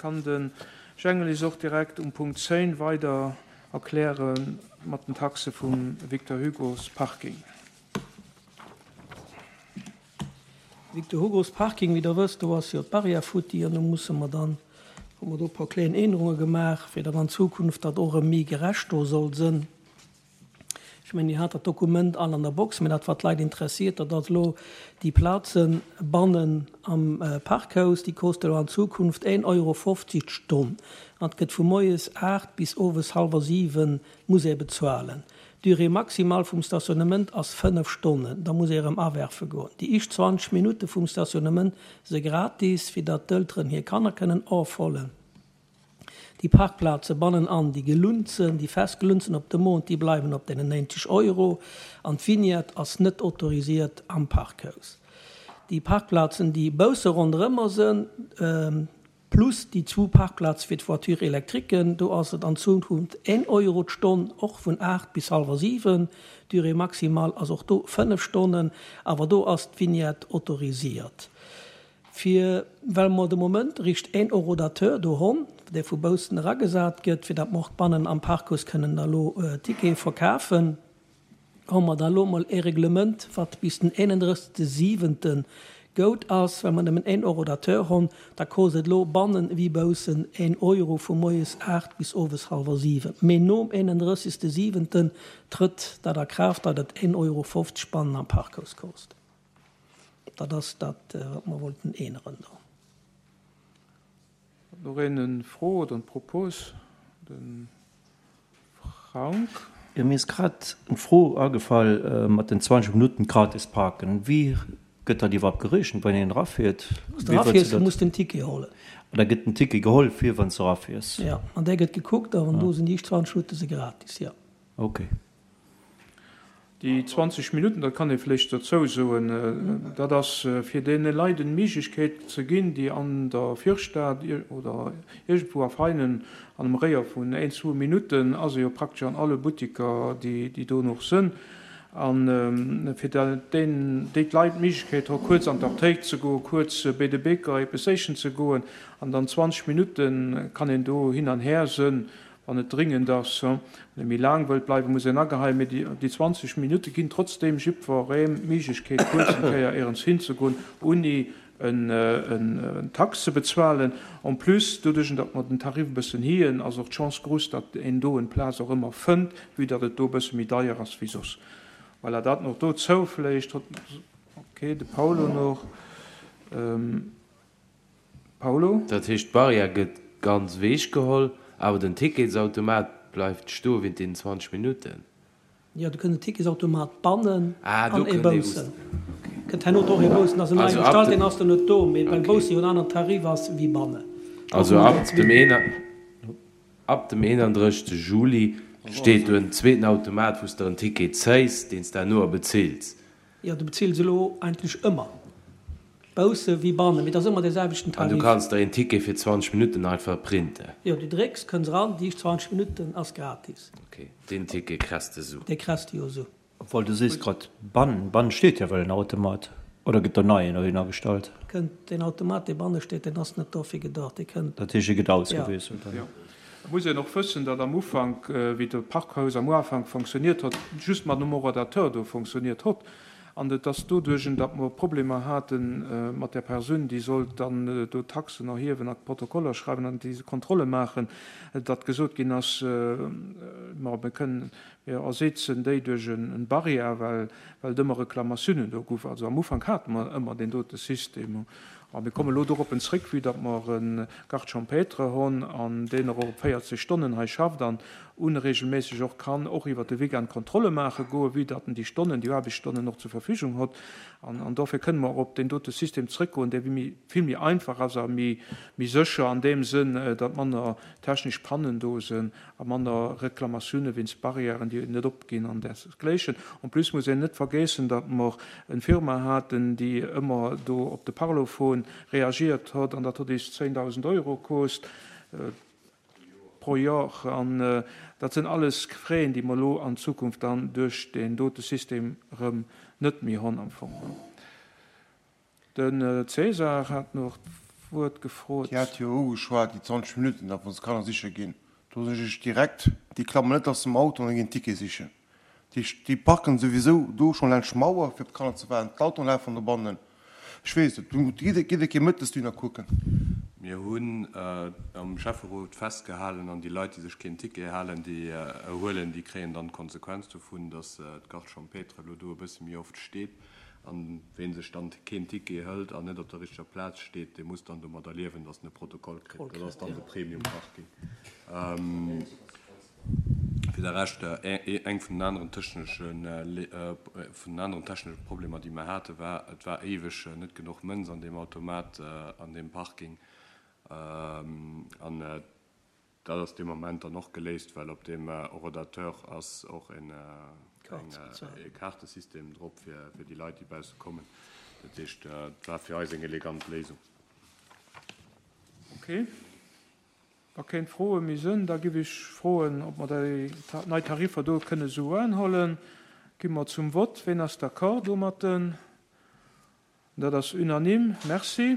Kann de Jengel is och direkt um Punkt 10 weider erkläre mat den Taxe vum Victor Hugo's Parking. Victor Hugo's Parking, wéi Der wësst, do ass jo d'Barrière futti an do musse mer dann, hu mer do e puer kleen Ännerunge gemaach, fir datt an Zukunft dat och erëm méi gerecht do soll sënn. Ech mengen, Dir hat dat Dokument all an der Box, mä dat wat d'Leit interessiert, dat ass elo déi Plazen bannen am Parkhaus, déi koste elo an Zukunft 1,50 Euro d'Stonn an et gëtt vu moies 8 bis owes hallwer 7 muss ee bezuelen. D'Durée maximale vum Stationnement ass 5 Stonnen, da muss ee erëm awerfe goen. Déi éischt 20 Minutte vum Stationnement se gratis, fir datt d'Elteren hir Kanner kënnen ofhollen. Déi Parkplaze bannenan, déi gelunzen, déi fest gelunzen op de Mond, déi bleiwen op deenen 90 Euro an d'Vignette ass net autorisiert am Parkhaus. Déi Parkplazen, déi bausse ronderëmmer sënn, plus déi zwou Parkplaze fir d'Voiture électriquen, do ass et an Zukunft een Euro d'Stonn, och vun 8 bis hallwer 7. D'Durée maximale ass och do 5 Stonnen, awer do ass d'Vignette autorisiert. Fir, well mer de Moment richt een Horodateur do honn, dee vu baussen eragesat gëtt, fir datt mer och bannen am Parkhaus kënnen da lo Tickete verkafen, hu mer da lo mol ee Reglement, wat bis den 31. Siwente goud ass. Well mer nëmmen een Horodateur honn, da kost et lo bannen ewéi baussen een Euro vu moies 8 bis owes hallwer 7. Mee nom 31. Siwenten trëtt dat a Kraaft, datt et een Euro 50 bannen am Parkhaus kost. Dat ass dat, wat mer wollten änneren do. Huet nach een en Fro oder en Propos? De Frank. Jo, mir ass grad en Fro agefall mat den 20 Minutten gratis parken. Wéi gëtt dat iwwerhaapt gerechent, wann een erafiert? Wann s de erafiers, muss de en Ticket hollen. An da gëtt den Ticket geholl fir wann s de erafiers? Jo, an där gëtt gekuckt a wann do sinn déi éischt 20 Minutte si gratis, jo. Ok. Déi 20 Minutten, dat kann ee vléicht dozou soen, dat ass fir deene Leit en Méiglechkeet ze ginn, déi an der Virstad oder iergendwou a Veinen an engem Réier vun een, zwou Minutten ass ee jo praktesch an alle Buttiker, déi do nach sënn, a fir déi d'Leit d'Méiglechkeet hu kuerz an d'Aptéik ze goen, kuerz béi de Bäcker eppes séichen ze goen an dann 20 Minutte kann een do hin an här sënn Wann et dringend ass, wann ee méi laang wëllt bleiwen, muss een ageheien, mee déi 20 Minutte ginn trotzdeem jiddwerem d'Méiglechkeet, kuerz eng Kéier éierens hinzegoen, ouni en Tax ze bezuelen. En plus, doduerch datt mer den Tarif e bëssen hien, ass och d'Chance grouss, datt een do en Plaz och ëmmer fënnt, vue datt et do e bësse méi deier ass wéi soss. Voilà, dat nach dozou vläicht. Okay, de Paulo nach. Paulo? Dat heescht, d'Barrière gëtt ganz ewech geholl, awer den Ticketsautomat bleift stoe wéint deenen 20 Minutten? Jo, do kënnt en Ticketsautomat bannen an ee baussen. Kënnt herno och ee baussen. Ass en neie gestallt, deen ass dann net do, mee well bausse jo en aneren Tarif ass wéi bannen. Also ab dem 31. Juli steet do en zweeten Automat, wou s de en Ticket zéis, deen s de herno bezills. Jo, du bezills elo eigentlech ëmmer, bausse wéi bannen, mee et ass ëmmer dee selwechten An du Tarif. kanns der een Ticket fir 20 Minutten einfach printen? Jo, du drécks, kënns eran, déi éischt 20 Minutten ass gratis. Ok, deen Ticket kress de sou? Dee kress de jo sou. Obwohl, du sees grad bannen, bannen steet jo well en Automat, oder gëtt do neien dohinner gestallt? Kënnt deen Automat, dee banne steet, deen ass net dofir gedacht, dee kënnt. Dat heescht, e gëtt ausgewiesselt dann? Jo. Et muss een och wëssen, datt am Ufank, wéi de Parkhaus am Uafank fonctionniert hott, just mat engem Horodateur do fonctionniert hott. An et ass doduerch, datt mer Problemer hate mat där Persoun, déi sollt dann do d'Taxen erhiewen a d'Protokoller schreiwen an déi Kontrolle maachen, datt gesot ginn ass, ma mir kënnen, mir ersetzen déi duerch e Barrière, well et ëmmer Reklamatiounen do guff. Also am Ufank hate mer ëmmer deen dote System. A mir kommen elo doroppen zréck, vue datt mer e Garde champêtre honn an deen och op 40 Stonnen hei schafft an unregelméisseg och kann och iwwert de Weekend Kontrolle maache goen, vue datt en déi Stonnen, déi Aarbechtsstonnen och zur Verfügung hott. An dofir kënne mer och op deen dote System zrëckgoen, dee vill méi einfach ass a méi sécher an deem Sënn, datt manner technesch Pannen do sënn a manner Reklamatioune wéinst Barrièren, déi net opginn an därsgléichen. En plus muss een net vergeessen, datt mer en Firma haten, déi ëmmer do op de Parlophon reagiert hott, an dat hott eis 10.000 Euro koost pro Jor. An dat sinn alles Frais, déi mer elo an Zukunft dann duerch deen dote System erëm net méi honn am Fong. De César hat nach. d'Wuert gefrot. Dir hat jo ugeschwat, déi 20 Minutten da, wou se Kanner siche ginn. Do soen ech direkt, déi klammen net aus dem Auto an ginn Ticket sichen. Déi, déi parken souwisou do schonn laanscht d'Mauer, fir op d'Kanner ze waarden. D'Autoen lafen dobannen. Ech weess et. Gitt, gitt e Kéier mëttes dohinner kucken. Mir hunn am Schäfferot festgehalen, an déi Leit, déi sech keen Ticket halen, déi huelen, déi kréien dann d'Konsequenz dovun, dass d'Garde champêtre elo do e bësse méi oft steet. An ween sech dann keen Ticket hëlt an net op der richteger Plaz steet, dee muss dann domadder liewen, dass en e Protokoll kritt. Dat ass dann de Premium Parking. Fir de Rescht, eng vun den aneren technesche vun den aneren technesche Problemer, déi mer haten, war, et war éiweg net genuch Mënz an deem Automat an deem Parking. An dat ass dee Moment dann och geléist, well op deem Horodateur ass och e Kaartesystem drop fir déi Leit, déi bausse kommen. Dat heescht, et war fir eis eng elegant Léisung. Okay. Wa kéng Froe méi sënn, da giff ech froen, ob mer déi nei Tariffer do kënne sou unhollen. Gi mer zum Vott. Ween ass d'accord domatten? Dat ass unanime. Merci.